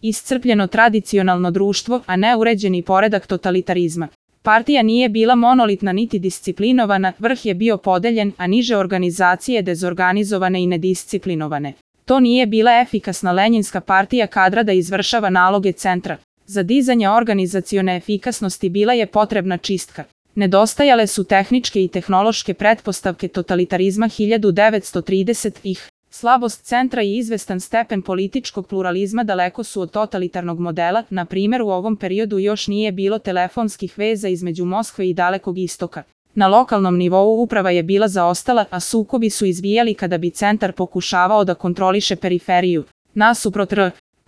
iscrpljeno tradicionalno društvo, a ne uređeni poredak totalitarizma. Partija nije bila monolitna niti disciplinovana, vrh je bio podeljen, a niže organizacije dezorganizovane i nedisciplinovane. To nije bila efikasna lenjinska partija kadra da izvršava naloge centra. Za dizanje organizacione efikasnosti bila je potrebna čistka. Nedostajale su tehničke i tehnološke pretpostavke totalitarizma 1930-ih. Slabost centra i izvestan stepen političkog pluralizma daleko su od totalitarnog modela, na primjer u ovom periodu još nije bilo telefonskih veza između Moskve i Dalekog istoka. Na lokalnom nivou uprava je bila zaostala, a sukobi su izbijali kada bi centar pokušavao da kontroliše periferiju. Nasuprot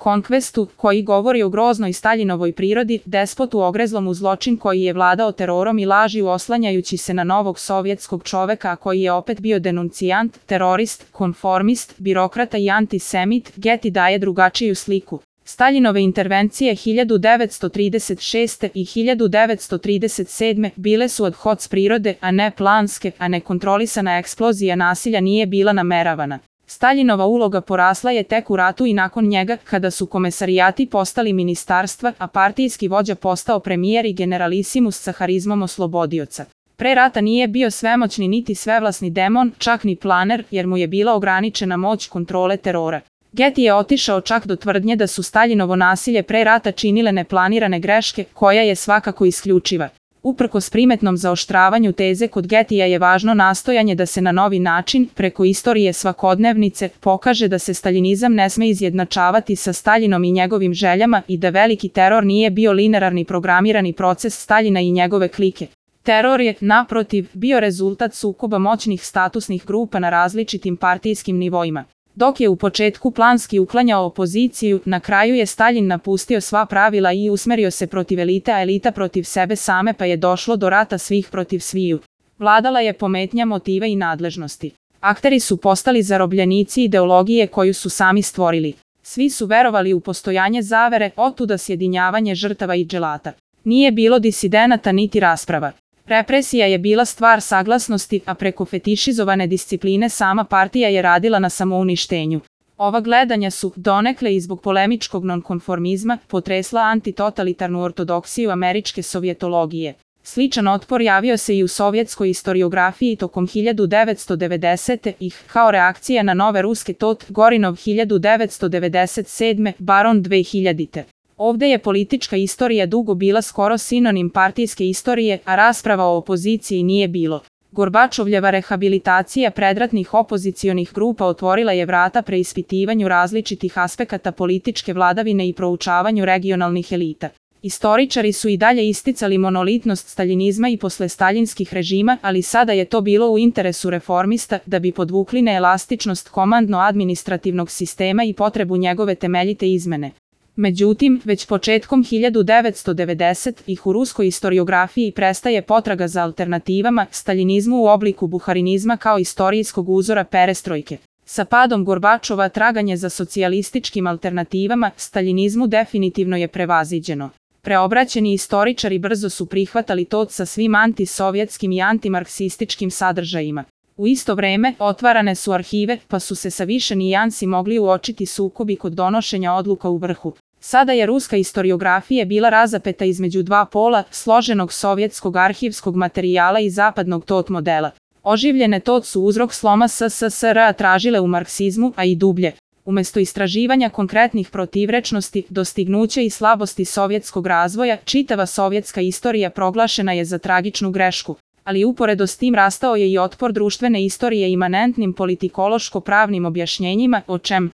Conquestu, koji govori o groznoj Staljinovoj prirodi, despotu ogrezlom u zločin koji je vladao terorom i laži oslanjajući se na novog sovjetskog čoveka, a koji je opet bio denuncijant, terorist, konformist, birokrata i antisemit, Getty daje drugačiju sliku. Staljinove intervencije 1936. i 1937. bile su ad hoc prirode, a ne planske, a nekontrolisana eksplozija nasilja nije bila nameravana. Staljinova uloga porasla je tek u ratu i nakon njega, kada su komesarijati postali ministarstva, a partijski vođa postao premijer i generalisimus sa harizmom oslobodioca. Pre rata nije bio svemoćni niti svevlasni demon, čak ni planer, jer mu je bila ograničena moć kontrole terora. Getty je otišao čak do tvrdnje da su Staljinovo nasilje pre rata činile neplanirane greške, koja je svakako isključiva. Uprkos primetnom zaoštravanju teze kod Gettija je važno nastojanje da se na novi način, preko istorije svakodnevnice, pokaže da se staljinizam ne sme izjednačavati sa Staljinom i njegovim željama i da veliki teror nije bio linearni programirani proces Staljina i njegove klike. Teror je, naprotiv, bio rezultat sukoba moćnih statusnih grupa na različitim partijskim nivoima. Dok je u početku planski uklanjao opoziciju, na kraju je Staljin napustio sva pravila i usmerio se protiv elite, a elita protiv sebe same, pa je došlo do rata svih protiv sviju. Vladala je pometnja motiva i nadležnosti. Akteri su postali zarobljenici ideologije koju su sami stvorili. Svi su verovali u postojanje zavere, otuda sjedinjavanje žrtava i dželata. Nije bilo disidenata niti rasprava. Represija je bila stvar saglasnosti, a preko fetišizovane discipline sama partija je radila na samouništenju. Ova gledanja su, donekle i zbog polemičkog nonkonformizma, potresla antitotalitarnu ortodoksiju američke sovjetologije. Sličan otpor javio se i u sovjetskoj istoriografiji tokom 1990-ih, kao reakcija na nove ruske Gorinov 1997, Baron 2000. Ovde je politička istorija dugo bila skoro sinonim partijske istorije, a rasprava o opoziciji nije bilo. Gorbačovljeva rehabilitacija predratnih opozicionih grupa otvorila je vrata preispitivanju različitih aspekata političke vladavine i proučavanju regionalnih elita. Istoričari su i dalje isticali monolitnost staljinizma i posle staljinskih režima, ali sada je to bilo u interesu reformista da bi podvukli neelastičnost komandno-administrativnog sistema i potrebu njegove temeljite izmene. Međutim, već početkom 1990-ih u ruskoj istoriografiji prestaje potraga za alternativama staljinizmu u obliku buharinizma kao istorijskog uzora perestrojke. Sa padom Gorbačova traganje za socijalističkim alternativama staljinizmu definitivno je prevaziđeno. Preobraćeni istoričari brzo su prihvatali to sa svim antisovjetskim i antimarksističkim sadržajima. U isto vreme, otvarane su arhive, pa su se sa više nijansi mogli uočiti sukobi kod donošenja odluka u vrhu. Sada je ruska istoriografija bila razapeta između dva pola, složenog sovjetskog arhivskog materijala i zapadnog TOT modela. Oživljene TOT su uzrok sloma SSSR-a tražile u marksizmu, a i dublje. Umesto istraživanja konkretnih protivrečnosti, dostignuća i slabosti sovjetskog razvoja, čitava sovjetska istorija proglašena je za tragičnu grešku. Ali uporedo s tim rastao je i otpor društvene istorije imanentnim politikološko-pravnim objašnjenjima, o čem